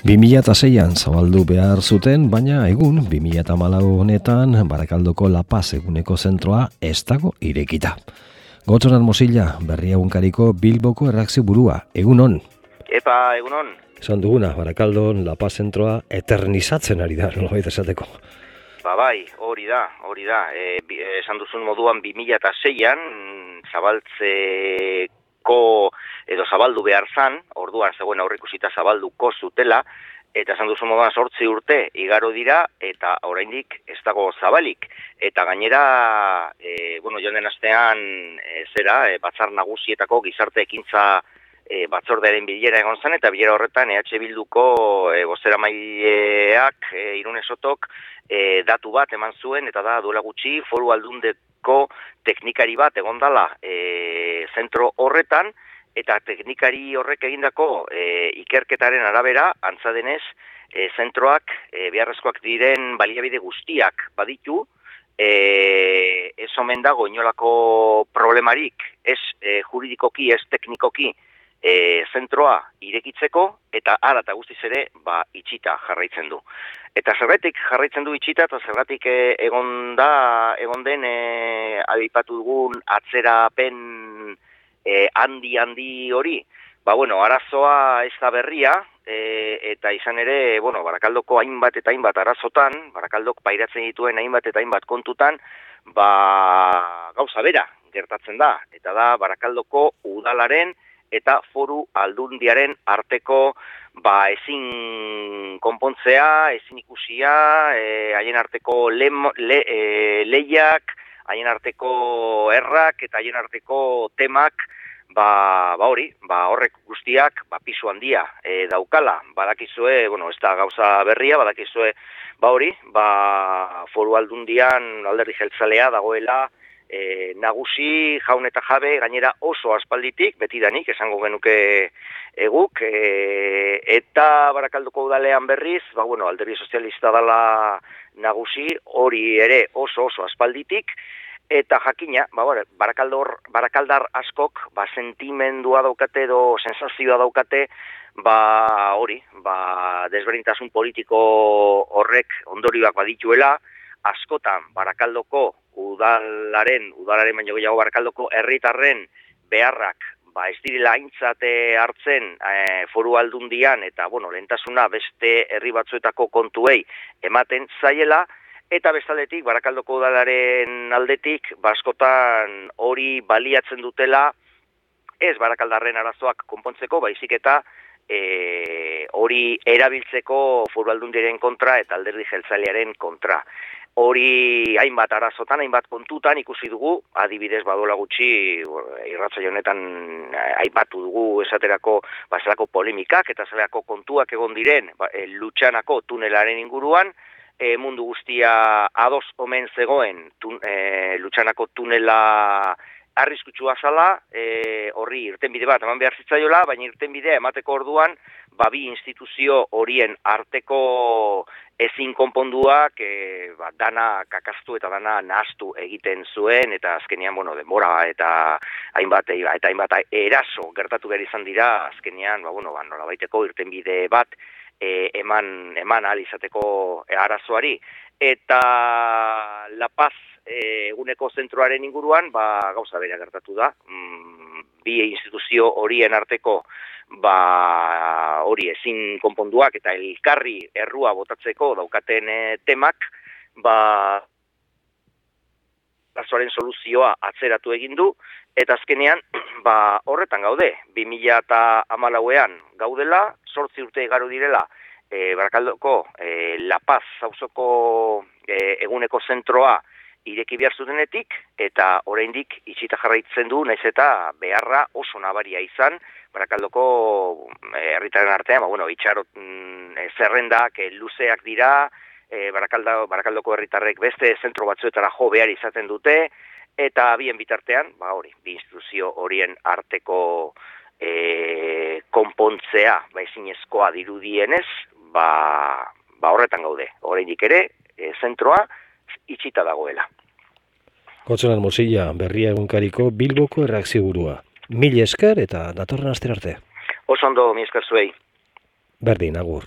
2006an zabaldu behar zuten, baina egun 2014 honetan Barakaldoko La Paz eguneko zentroa ez dago irekita. Gotzonan Mosilla, Berria egunkariko Bilboko erreakzio burua, egunon. Epa, egunon. Esan duguna, Barakaldon La Paz zentroa eternizatzen ari da, nolabait esateko. Bai, hori da. Esan duzun moduan 2006an zabaldu behar zan, orduan zegoen aurreikusita zabalduko zutela, eta esan duzun moduan 8 urte igaro dira, eta oraindik ez dago zabalik. Eta gainera, joan den astean batzar nagusietako gizarte ekintza batzordearen bilera egon zen, eta bilera horretan EH Bilduko bozeramaileak Irune Sotok datu bat eman zuen, eta da duela gutxi Foru Aldundeko teknikari bat egon dala zentro horretan, eta teknikari horrek egindako ikerketaren arabera, antza denez, zentroak beharrezkoak diren baliabide guztiak baditu, ez omen dago inolako problemarik, ez juridikoki, ez teknikoki, zentroa irekitzeko, eta ara eta guztiz ere itxita jarraitzen du. Eta zergatik jarraitzen du itxita, eta zergatik egon den aipatu dugun atzerapen handi hori. Arazoa ez da berria, eta izan ere, Barakaldoko hainbat eta hainbat arazotan, Barakaldok pairatzen dituen hainbat eta hainbat kontutan, gauza bera gertatzen da, eta da Barakaldoko udalaren eta Foru Aldundiaren arteko ezin konpontzea, ezin ikusia, haien arteko lehiak, haien arteko errak eta haien arteko temak, horrek guztiak pisu handia daukala. Badakizue, ez da gauza berria, badakizue, Foru Aldundian alderdi jeltzalea dagoela nagusi, jaun eta jabe, gainera oso aspalditik, betidanik, esango genuke eguk, eta Barakaldoko udalean berriz, alderdi sozialista dala nagusi, hori ere oso aspalditik, eta jakina, barakaldar askok, sentimendua daukate edo sensazioa daukate, desberdintasun politiko horrek ondorioak badituela, askotan Barakaldoko udalaren baino gehiago Barakaldoko herritarren beharrak ez direla aintzate hartzen Foru Aldundian eta lehentasuna beste herri batzuetako kontuei ematen zaiela, eta bestaldetik Barakaldoko udalaren aldetik askotan hori baliatzen dutela ez Barakaldarren arazoak konpontzeko, baizik eta hori erabiltzeko Foru Aldundiaren kontra eta alderdi jeltzalearen kontra. Hori hainbat arazotan, hainbat kontutan ikusi dugu, adibidez badola gutxi irratsaio honetan aipatu dugu esaterako zelako polemikak eta zelako kontuak egon diren Lutxanako tunelaren inguruan, mundu guztia ados omen zegoen Lutxanako tunela arriskutsua zala, horri irtenbide bat eman behar zitzaiola, baina irtenbidea emateko orduan, bi instituzio horien arteko ezin konponduak dana kakaztu eta dana nahastu egiten zuen, eta azkenean, denbora eta hainbat eraso gertatu behar izan dira, azkenean, nolabaiteko irtenbide bat eman ahal izateko arazoari. Eta La Paz eguneko zentroaren inguruan, gauza bera gertatu da, bi instituzio horien arteko hori ezin konponduak eta elkarri errua botatzeko daukaten temak, arazoaren soluzioa atzeratu egin du, eta azkenean horretan gaude, 2014an gaudela, 8 urte igaro direla, Barakaldoko La Paz auzoko eguneko zentroa ireki behar zutenetik, eta oraindik itxita jarraitzen du, naiz eta beharra oso nabaria izan, Barakaldoko herritarren artean, itxarot zerrendak luzeak dira, Barakaldoko herritarrek beste zentro batzuetara jo behar izaten dute, eta bien bitartean, bi instituzio horien arteko konpontzea, ezinezkoa dirudienez, horretan gaude, oraindik ere, zentroa itxita dagoela. Gotzonan Mosilla, Berria egunkariko Bilboko erreakzio burua. Mil esker eta datorren astera arte. Oso ondo, mi esker zuei. Berdin, agur.